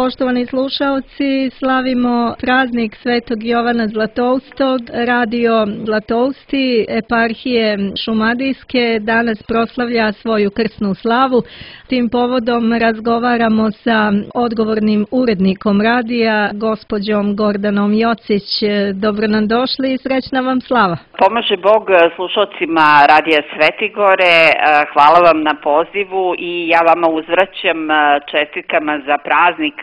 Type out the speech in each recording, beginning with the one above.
Poštovani slušaoci, slavimo praznik Svetog Jovana Zlatoustog. Radio Zlatousti eparhije Šumadijske danas proslavlja svoju krsnu slavu. Tim povodom razgovaramo sa odgovornim urednikom radija, gospođom Gordanom Jocić. Dobro nam došli i srećna vam slava. Pomaže Bog slušalcima Radija Svetigore, hvala vam na pozivu i ja vama uzvraćam čestitkama za praznik.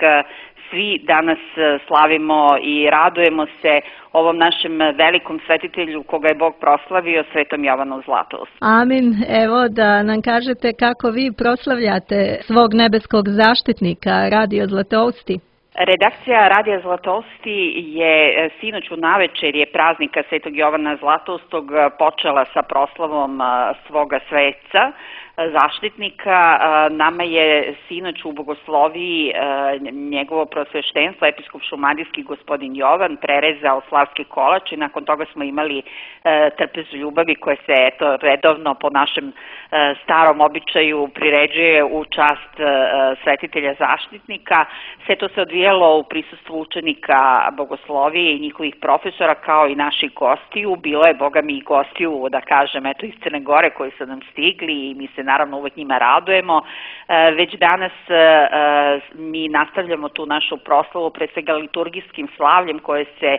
Svi danas slavimo i radujemo se ovom našem velikom svetitelju koga je Bog proslavio, Svetom Jovanu Zlatoustu. Amin. Evo da nam kažete kako vi proslavljate svog nebeskog zaštitnika, Radio Zlatousti. Redakcija Radija Zlatousti je sinoć u navečerje praznika Svetog Jovana Zlatoustog počela sa proslavom svoga sveca, zaštitnika. Nama je sinoć u bogosloviji njegovo prosveštenstvo, episkop šumadijski gospodin Jovan, prerezao slavski kolač i nakon toga smo imali trpezu ljubavi koja se redovno po našem starom običaju priređuje u čast svetitelja zaštitnika. Sve to se odvijalo u prisustvu učenika bogoslovije i njihovih profesora kao i naših gostiju. Bilo je, boga mi, i gostiju, da kažem, eto iz Crne Gore koji su nam stigli i mi se naravno uvek njima radujemo. Već danas mi nastavljamo tu našu proslavu pre svega liturgijskim slavljem koje se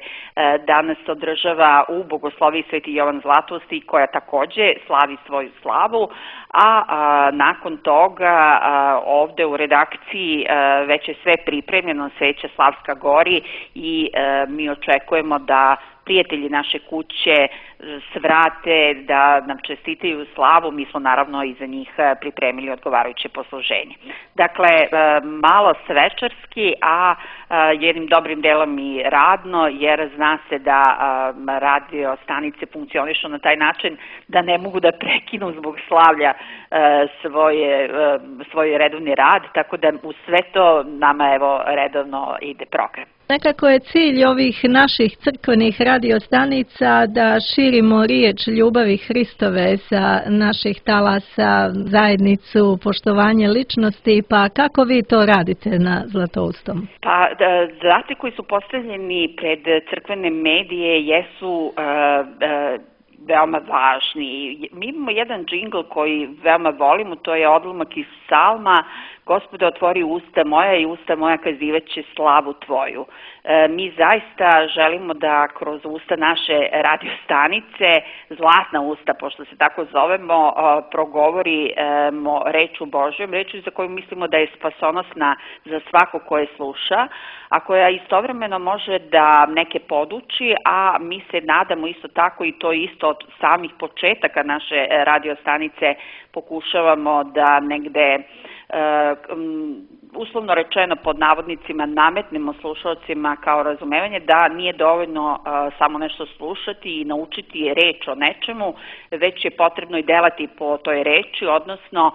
danas održava u bogosloviji Sveti Jovan Zlatousti koja takođe slavi svoju slavu, a nakon toga ovde u redakciji već je sve pripremljeno, sveća slavska gori i mi očekujemo da prijatelji naše kuće svrate, da nam čestitaju slavu. Mi smo naravno i za njih pripremili odgovarajuće posluženje. Dakle, malo svečarski, a jednim dobrim delom i radno, jer zna se da radio stanice funkcionišu na taj način da ne mogu da prekinu zbog slavlja svoj redovni rad, tako da u sve to nama evo redovno ide program. Nekako je cilj ovih naših crkvenih radiostanica da širimo riječ ljubavi Hristove sa naših talasa, zajednicu, poštovanje ličnosti, pa kako vi to radite na Zlatoustom? Pa, zadaci koji su postavljeni pred crkvene medije jesu veoma važni. Mi imamo jedan džingl koji veoma volimo, to je odlomak iz psalma: Gospode, otvori usta moja i usta moja kazivaće slavu tvoju. Mi zaista želimo da kroz usta naše radiostanice, zlatna usta, pošto se tako zovemo, progovorimo reču Božjom, reču za koju mislimo da je spasonosna za svako koje sluša, a koja istovremeno može da neke poduči, a mi se nadamo isto tako, i to isto od samih početaka naše radiostanice pokušavamo da negde uslovno rečeno pod navodnicima nametnemo slušalcima kao razumevanje da nije dovoljno samo nešto slušati i naučiti reč o nečemu, već je potrebno i delati po toj reči, odnosno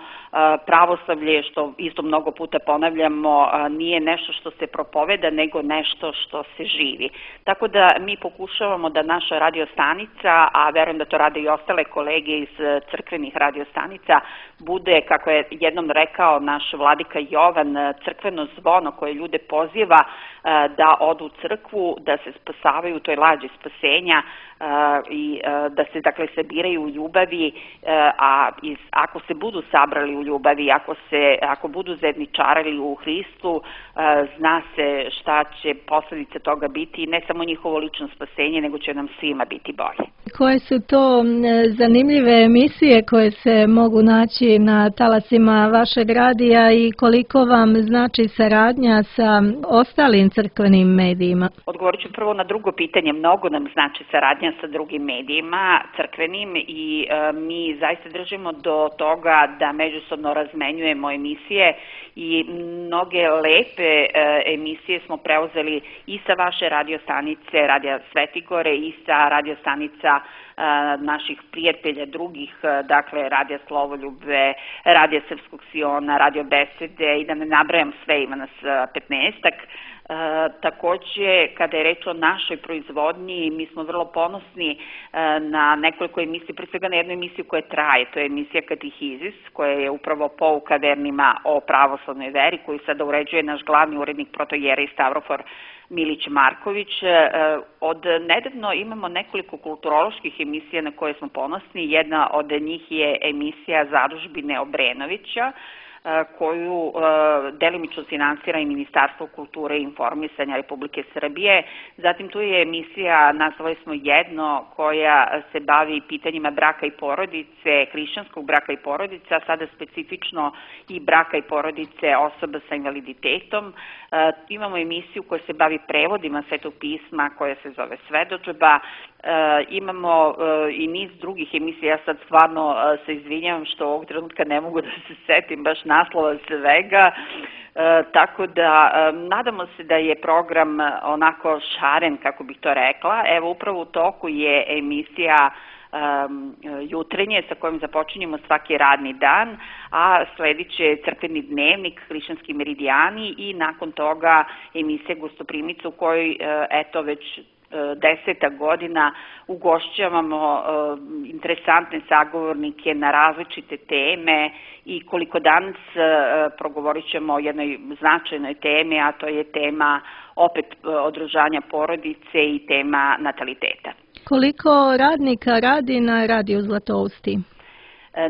pravoslavlje, što isto mnogo puta ponavljamo, nije nešto što se propoveda, nego nešto što se živi. Tako da mi pokušavamo da naša radiostanica, a verujem da to rade i ostale kolege iz crkvenih radiostanica, bude, kako je jednom rekao naš vladika Jovan, crkveno zvono koje ljude poziva da odu u crkvu, da se spasavaju u toj lađi spasenja i da se dakle sabiraju u ljubavi, a ako se budu sabrali u ljubavi, ako budu zajedničarali u Hristu, zna se šta će posledice toga biti, ne samo njihovo lično spasenje, nego će nam svima biti bolje. Koje su to zanimljive emisije koje se mogu naći na talasima vašeg radija i koliko vam znači saradnja sa ostalim crkvenim medijima? Odgovorit ću prvo na drugo pitanje. Mnogo nam znači saradnja sa drugim medijima crkvenim i mi zaista držimo do toga da međusobno razmenjujemo emisije i mnoge lepe emisije smo preuzeli i sa vaše radiostanice, Radija Svetigore, i sa radiostanica naših prijatelja drugih, dakle Radija Slovoljube, Radija Srpskog Siona, Radio Besede i da ne nabrajam sve, ima nas 15-ak. Takođe, kada je reč o našoj proizvodnji, mi smo vrlo ponosni na nekoliko emisija, pre svega na jednu emisiju koja traje, to je emisija Katihizis, koja je upravo pouka vernima o pravoslavnoj veri, koju sada uređuje naš glavni urednik protojera i Stavrofor Milić Marković. Od nedavno imamo nekoliko kulturoloških emisija na koje smo ponosni. Jedna od njih je emisija Zadužbine Obrenovića, koju delimično finansira i Ministarstvo kulture i informisanja Republike Srbije. Zatim tu je emisija, nazvali smo jedno, koja se bavi pitanjima braka i porodice, hrišćanskog braka i porodice, a sada specifično i braka i porodice osoba sa invaliditetom. Imamo emisiju koja se bavi prevodima Svetog pisma, koja se zove Svedodžba. Imamo i niz drugih emisija, ja sad stvarno se izvinjavam što ovog trenutka ne mogu da se setim baš naslova svega, tako da nadamo se da je program onako šaren, kako bih to rekla. Evo, upravo u toku je emisija Jutrenje sa kojom započinjemo svaki radni dan, a sledit će crkveni dnevnik, hrišćanski meridijani i nakon toga emisija Gostoprimica u kojoj, eto, već 10. godina ugošćavamo interesantne sagovornike na različite teme i koliko danas progovorit ćemo o jednoj značajnoj temi, a to je tema opet održanja porodice i tema nataliteta. Koliko radnika radi na Radiju Zlatousti?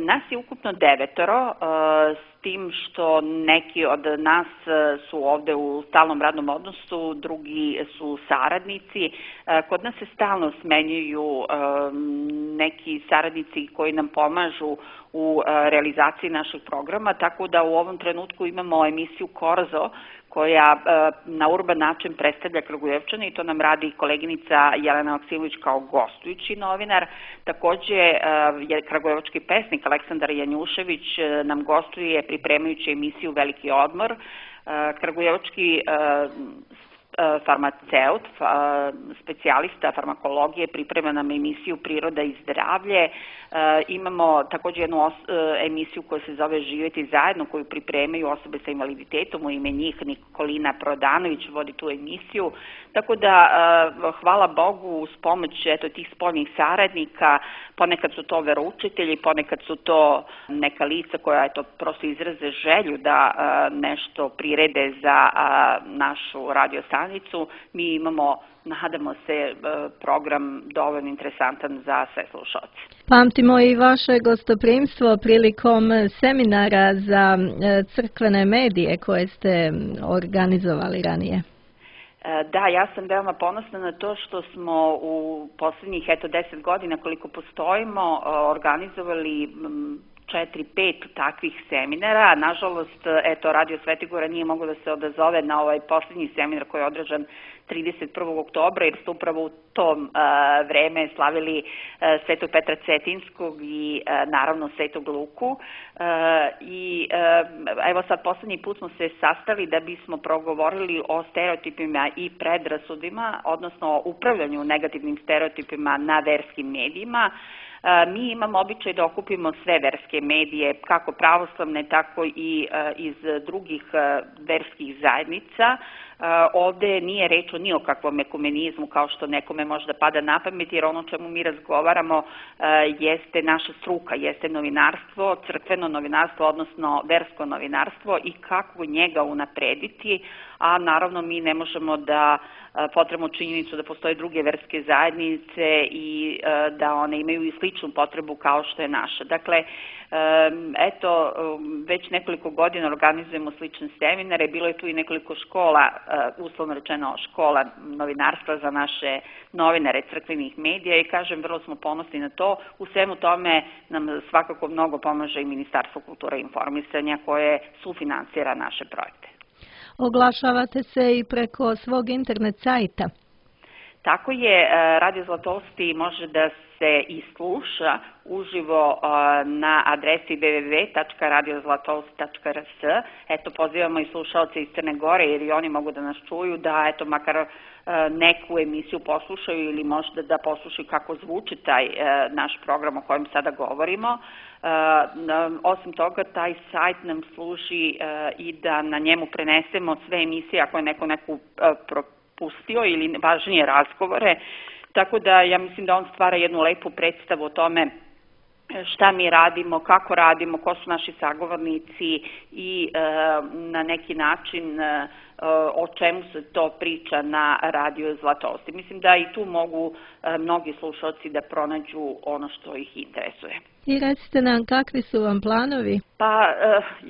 Nas je ukupno 9, s tim što neki od nas su ovde u stalnom radnom odnosu, drugi su saradnici. Kod nas se stalno smenjuju neki saradnici koji nam pomažu u realizaciji našeg programa, tako da u ovom trenutku imamo emisiju Korzo, koja na urban način predstavlja Kragujevčane i to nam radi koleginica Jelena Maksimović kao gostujući novinar. Takođe je kragujevački pesnik Aleksandar Janjušević nam gostuje pripremajući emisiju Veliki odmor. Kragujevački farmaceut, specijalista farmakologije, priprema nam emisiju Priroda i zdravlje. Imamo takođe jednu emisiju koja se zove Živjeti zajedno, koju pripremaju osobe sa invaliditetom, u ime njih Nikolina Prodanović vodi tu emisiju. Tako da, hvala Bogu, uz pomoć tih spoljnih saradnika, ponekad su to veroučitelji, ponekad su to neka lica koja prosto izraze želju da nešto prirede za našu radiostanicu. Mi imamo, nadamo se, program dovoljno interesantan za sve slušalce. Pamtimo i vaše gostoprimstvo prilikom seminara za crkvene medije koje ste organizovali ranije. Da, ja sam veoma ponosna na to što smo u poslednjih 10 godina koliko postojimo organizovali 4-5 takvih seminara. Nažalost, Radio Svetigora nije moglo da se odazove na ovaj poslednji seminar koji je održan 31. oktobra, jer ste upravo u tom vreme slavili Svetog Petra Cetinskog i naravno Svetog Luku. I evo sad poslednji put smo se sastali da bismo progovorili o stereotipima i predrasudima, odnosno o upravljanju negativnim stereotipima na verskim medijima. Mi imamo običaj da okupimo sve verske medije, kako pravoslavne, tako i iz drugih verskih zajednica. Ovde nije reč o ni o kakvom ekumenizmu, kao što nekome možda pada na pamet, jer ono čemu mi razgovaramo jeste naša struka, jeste novinarstvo, crkveno novinarstvo, odnosno versko novinarstvo i kako njega unaprediti, a naravno mi ne možemo da potrebno činjenicu da postoje druge verske zajednice i da one imaju i sličnu potrebu kao što je naša. Dakle, eto, već nekoliko godina organizujemo slične seminare, bilo je tu i nekoliko škola, uslovno rečeno škola novinarstva za naše novinare crkvenih medija i kažem, vrlo smo ponosni na to. U svemu tome nam svakako mnogo pomaže i Ministarstvo kulture i informisanja koje sufinansira naše projekte. Oglašavate se i preko svog internet sajta? Tako je, Radio Zlatousti može da se i sluša uživo na adresi www.radiozlatousti.rs. Eto, pozivamo i slušalce iz Crne Gore, jer i oni mogu da nas čuju, da eto makar neku emisiju poslušaju ili možda da poslušaju kako zvuči taj naš program o kojem sada govorimo. Osim toga, taj sajt nam služi i da na njemu prenesemo sve emisije ako je neku propustio ili važnije razgovore. Tako da ja mislim da on stvara jednu lepu predstavu o tome šta mi radimo, kako radimo, ko su naši sagovornici i na neki način o čemu se to priča na Radio Zlatousti. Mislim da i tu mogu mnogi slušalci da pronađu ono što ih interesuje. I recite nam, kakvi su vam planovi? Pa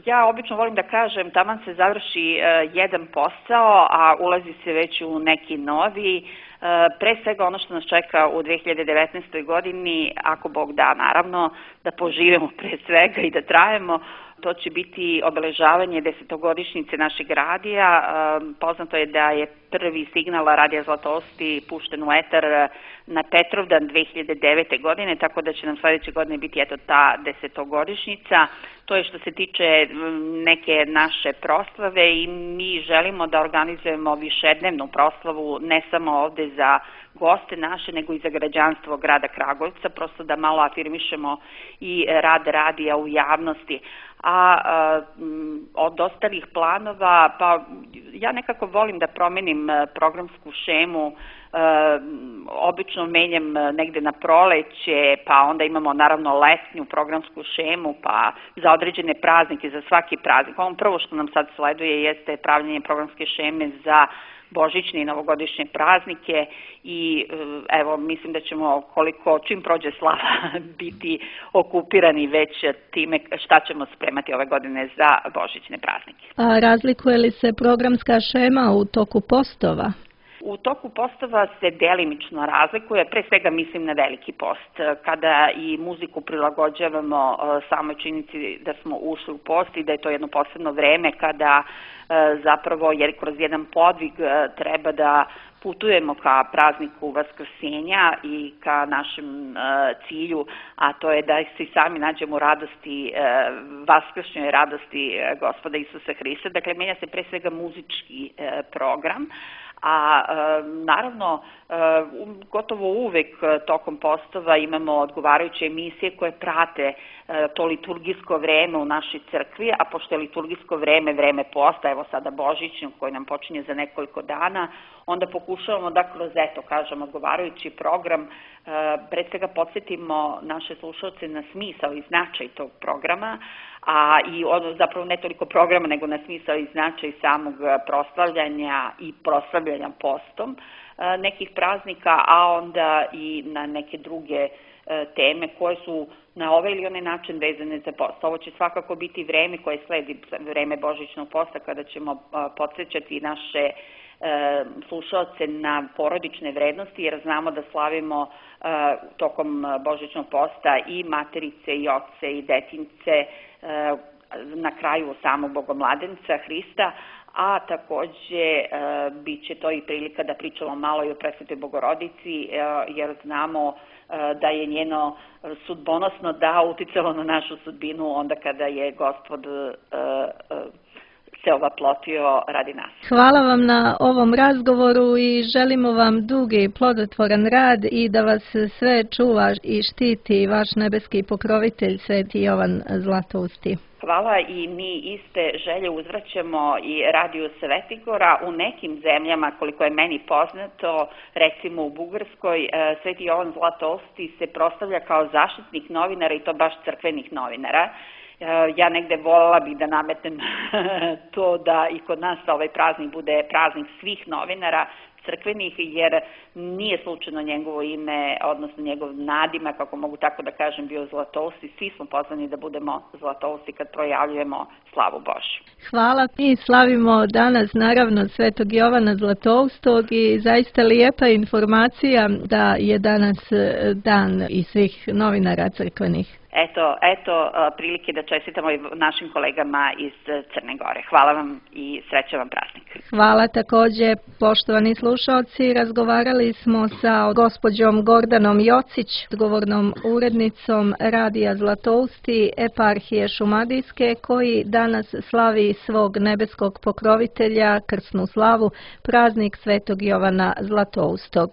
ja obično volim da kažem, taman se završi jedan posao, a ulazi se već u neki novi. Pre svega ono što nas čeka u 2019. godini, ako Bog da naravno, da poživimo pre svega i da trajemo, to će biti obeležavanje 10-godišnjice našeg radija. Poznato je da je prvi signal Radija Zlatousti pušten u etar na Petrovdan 2009. godine, tako da će nam sledeće godine biti eto ta 10-godišnjica. To je što se tiče neke naše proslave i mi želimo da organizujemo višednevnu proslavu ne samo ovde za goste naše, nego i za građanstvo grada Kragujevca, prosto da malo afirmišemo i rad radija u javnosti. A od ostalih planova, pa ja nekako volim da promenim programsku šemu, obično menjam negde na proleće, pa onda imamo naravno letnju programsku šemu, pa za određene praznike, za svaki praznik. Ono prvo što nam sad sleduje jeste pravljenje programske šeme za božićne i novogodišnje praznike i evo mislim da ćemo čim prođe slava biti okupirani već time šta ćemo spremati ove godine za božićne praznike. A razlikuje li se programska šema u toku postova? U toku postova se delimično razlikuje, pre svega mislim na Veliki post, kada i muziku prilagođavamo samoj činjenici da smo ušli u post i da je to jedno posebno vreme kada zapravo, jer kroz jedan podvig treba da putujemo ka prazniku Vaskrsenja i ka našem cilju, a to je da se sami nađemo u radosti, vaskršnjoj radosti Gospoda Isusa Hrista. Dakle, menja se pre svega muzički program, a naravno gotovo uvek tokom postova imamo odgovarajuće emisije koje prate to liturgijsko vreme u našoj crkvi, a pošto je liturgijsko vreme posta, evo sada božićno koji nam počinje za nekoliko dana, onda pokušavamo da kroz, odgovarajući program pre svega podsjetimo naše slušalce na smisao i značaj tog programa, a i zapravo ne toliko programa nego na smisao i značaj samog proslavljanja i proslavljanja postom nekih praznika, a onda i na neke druge teme koje su na ovaj ili onaj način vezane za post. Ovo će svakako biti vreme koje sledi vreme božićnog posta kada ćemo podsjećati naše slušalce na porodične vrednosti, jer znamo da slavimo tokom božićnog posta i materice i oce i detince na kraju samog Bogomladenca Hrista, a takođe bit će to i prilika da pričamo malo i o Presvetoj Bogorodici, jer znamo da je njeno sudbonosno uticalo na našu sudbinu onda kada je Gospod se ovaplotio radi nas. Hvala vam na ovom razgovoru i želimo vam dug i plodotvoran rad i da vas sve čuva i štiti vaš nebeski pokrovitelj Sveti Jovan Zlatousti. Hvala i mi iste želje uzvraćamo i Radiju Svetigora. U nekim zemljama, koliko je meni poznato, recimo u Bugarskoj, Sveti Jovan Zlatousti se proslavlja kao zaštitnik novinara i to baš crkvenih novinara. Ja negde voljela bih da nametnem to da i kod nas ovaj praznik bude praznik svih novinara crkvenih, jer nije slučajno njegovo ime, odnosno njegov nadimak, ako mogu tako da kažem, bio Zlatousti. Svi smo pozvani da budemo Zlatousti kad projavljujemo slavu Božju. Hvala. Mi slavimo danas naravno Svetog Jovana Zlatoustog i zaista lijepa informacija da je danas dan i svih novinara crkvenih. Eto prilike da čestitamo i našim kolegama iz Crne Gore. Hvala vam i srećan vam praznik. Hvala takođe, poštovani slušalci. Razgovarali smo sa gospođom Gordanom Jocić, odgovornom urednicom Radija Zlatousti, eparhije Šumadijske, koji danas slavi svog nebeskog pokrovitelja, krsnu slavu, praznik Svetog Jovana Zlatoustog.